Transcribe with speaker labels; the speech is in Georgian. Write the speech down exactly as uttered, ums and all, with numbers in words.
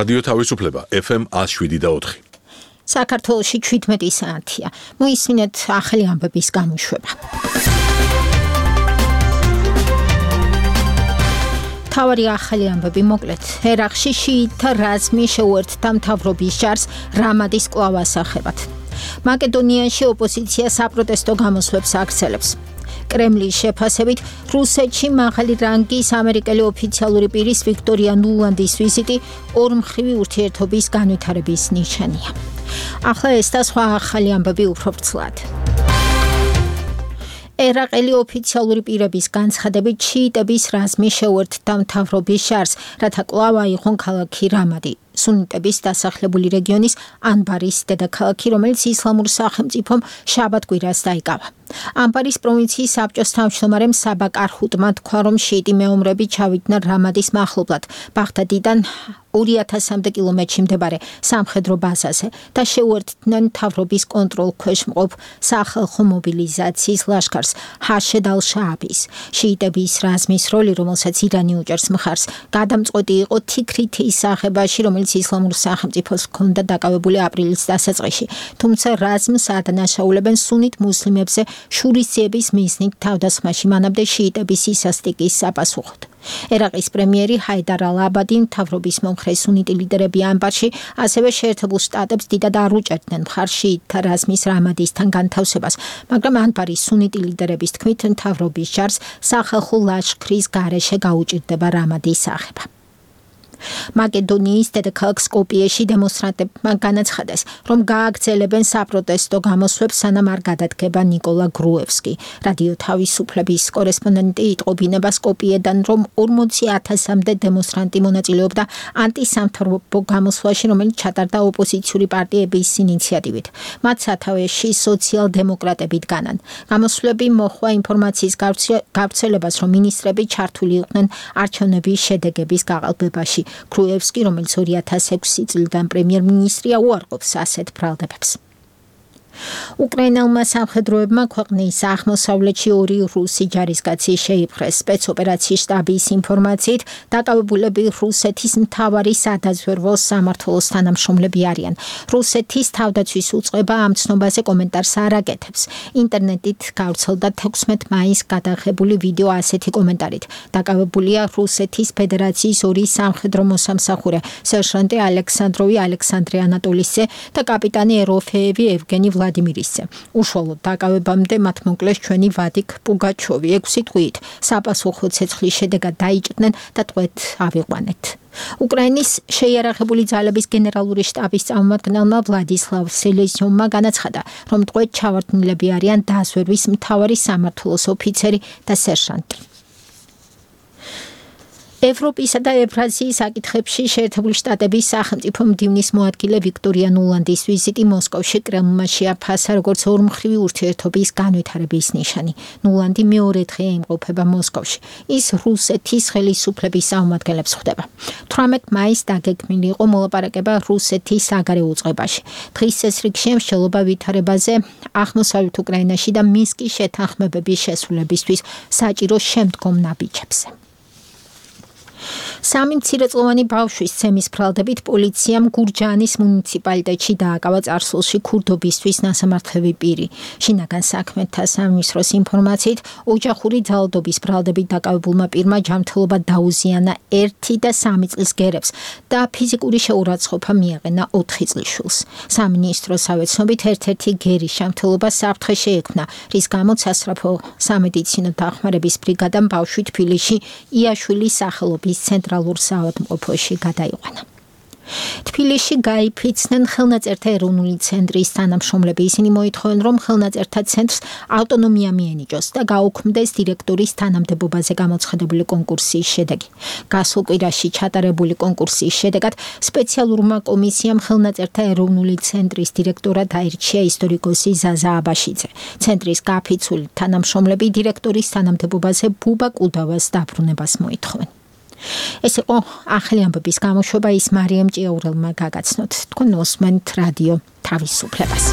Speaker 1: რადიო თავისუფლება ეფ ემ ათს შვიდი და ოთხი.
Speaker 2: საქართველოში ჩვიდმეტი საათია. მოისმინეთ ახალი ამბების გამოშვება. თავარი ახალი ამბები მოკლედ. ერაყში შიიტთა რაზმი შეუერთდა მთავრობის ჯარს რამადის კვლავ ასახებად. მაკედონიაში ოპოზიცია საპროტესტო გამოსვლებს აგრძელებს. კრემლის შეფასებით რუსეთში მაღალი რანგის ამერიკელი ოფიციალური პირის ვიქტორია ნულანდის ვიზიტი ორმხრივი ურთიერთობის განვითარების ნიშანია. ახლა ეს და სხვა ახალი ამბები უფრო ვრცლად. ერაყელი ოფიციალური პირების განცხადებით შიიტების რაზმი შეუერთდა მთავრობის ჯარს, რათა კვლავ აიღონ ქალაქი რამადი. სუნიტების დასახლებული რეგიონის ანბარის დედაქალაქი, რომელიც ისლამურ სახელმწიფომ შაბათ-კვირას დაიკავა. ანბარის პროვინციის საბჭოს თავმჯდომარემ საბა კარჰუტმა თქვა, რომ შიიტი მეომრები ჩავიდნენ რამადის მახლობლად, ბაღდადიდან ორი ათასამდე კილომეტრში მდებარე სამხედრო ბაზაზე და შეუერთდნენ მთავრობის კონტროლ ქვეშ მყოფ სახალხო მობილიზაციის ლაშქარს ჰაშედ ალ-შააბის. შიიტების რაზმის როლი, რომელსაც ირანი უჭერს მხარს, გადამწყვეტი იყო თიქრითი ისახებაში, რომელიც ისლამურ სახელმწიფოს ჰქონდა დაკავებული აპრილის დასაწყისში, თუმცა რაზმს ადანაშაულებენ სუნით მუსლიმებზე შურისძიების მიზნით თავდასხმაში, მანამდე შიიტების ისასტიკის საპასუხოდ. ერაყის პრემიერი ჰაიდარ ალ-აბადი მთავრობის მომხრე სუნიტი ლიდერები ანბარში ასევე შეერთებულ შტატებს დიდად არ უჭერდნენ მხარს შიიტთა რაზმის რამადისთან განთავსებას, მაგრამ ანბარის სუნიტი ლიდერების თქმით მთავრობის ჯარს სახალხო ლაშქრის გარეშე გაუჭირდება რამადის აღება. მაკედონიის დედაქალაქ სკოპიეში დემონსტრანტებმა განაცხადეს, რომ გააგრძელებენ საპროტესტო გამოსვლებს, სანამ არ გადადგება ნიკოლა გრუევსკი. რადიო თავისუფლების კორესპონდენტი იტყობინება სკოპიედან, რომ ორმოცი ათასამდე დემონსტრანტი მონაწილეობდა ანტისამთავრობო გამოსვლაში, რომელიც ჩატარდა ოპოზიციური პარტიების ინიციატივით. მათ სათავეში სოციალ-დემოკრატები დგანან. გამოსვლები მოჰყვა ინფორმაციის გავრცელებას, რომ მინისტრები ჩართული იყვნენ არჩევნების შედეგების გაყალბებაში. გრუევსკი, რომელიც ორი ათას ექვსი წლიდან პრემიერ-მინისტრია, უარყოფს ასეთ ბრალდებებს. უკრაინელმა სამხედროებმა ქვეყნის აღმოსავლეთში ორი რუსი ჯარისკაცი შეიპყრეს. სპეცოპერაციის შტაბის ინფორმაციით, დაკავებულები რუსეთის მთავარი სადაზვერვო სამმართველოს თანამშრომლები არიან. რუსეთის თავდაცვის უწყება ამ ცნობაზე კომენტარს არ აკეთებს. ინტერნეტით გავრცელდა თექვსმეტ მაისს გადაღებული ვიდეო ასეთი კომენტარით. დაკავებულია რუსეთის ფედერაციის ორი სამხედრო მოსამსახურე, სერჟანტი ალექსანდროვი ალექსანდრე ანატოლისძე და კაპიტანი ეროფეევი ევგენი ვლადიმირისძე. უშუალოდ დაკავებამდე მათ მოკლეს ჩვენი ვადიკ პუგაჩოვი ექვსი თვით. საპასუხო ცეცხლის შედეგად დაიჭრნენ და ტყვედ ავიყვანეთ. უკრაინის შეიარაღებული ძალების გენერალური შტაბის წარმომადგენელმა ვლადისლავ სელეზიუმმა განაცხადა, რომ ტყვედ ჩავარდნილები არიან დაზვერვის მთავარი სამმართველოს ოფიცერი და სერჟანტი. ევროპისა და ევრაზიის საკითხებში შეერთებული შტატების სახელმწიფო მდივნის მოადგილე ვიქტორია ნულანდის ვიზიტი მოსკოვში კრემლმა შეაფასა როგორც ორმხრივი ურთიერთობის განვითარების ნიშანი. ნულანდი მეორე დღეა იმყოფება მოსკოვში. ის რუსეთის ხელისუფლების წარმომადგენლებს ხვდება. თვრამეტ მაისს დაგეგმილი იყო მოლაპარაკება რუსეთის საგარეო უწყებაში. დღის წესრიგში მსჯელობა ვითარებაზე აღმოსავლეთ უკრაინაში და მინსკის შეთანხმებების შესრულებისთვის საჭირო შემდგომ ნაბიჯებზე. სამი მცირეწლოვანი ბავშვის ცემის ბრალდებით პოლიციამ გურჯაანის მუნიციპალიტეტში დააკავა წარსულში ქურდობისთვის ნასამართლები პირი. შინაგან საქმეთა სამინისტროს ინფორმაციით, ოჯახური ძალადობის ბრალდებით დაკავებულმა პირმა ჯანმრთელობა დაუზიანა ერთი და სამი წლის გერებს და ფიზიკური შეურაცხყოფა მიაყენა ოთხი წლის შვილს. სამინისტროს ავეცნობით ერთ-ერთი გერის ჯანმრთელობა საფრთხე შეექმნა, რის გამოც სასწრაფო სამედიცინო დახმარების ბრიგადამ ბავშვი თბილისში იაშვილის სახელობის ცენტრალურ საავადმყოფოში გადაიყვანა. თბილისში გაიფიცნენ ხელნაწერთა ეროვნული ცენტრის თანამშრომლები. ისინი მოითხოვენ, რომ ხელნაწერთა ცენტრს ავტონომია მიენიჭოს და გაუქმდეს დირექტორის თანამდებობაზე გამოცხადებული კონკურსის შედეგი. გასულ კვირაში ჩატარებული კონკურსის შედეგად სპეციალურმა კომისიამ ხელნაწერთა ეროვნული ცენტრის დირექტორად აირჩია ისტორიკოსი ზაზა აბაშიძე. ცენტრის გაფიცული თანამშრომლები დირექტორის თანამდებობაზე ბუბა კუდავას დაბრუნებას მოითხოვენ. ეს იყო ახალი ამბების გამოშვება, ის მარიამ ჭიაურელმა გაგაცნოთ. თქვენ უსმენთ რადიო თავისუფლებას.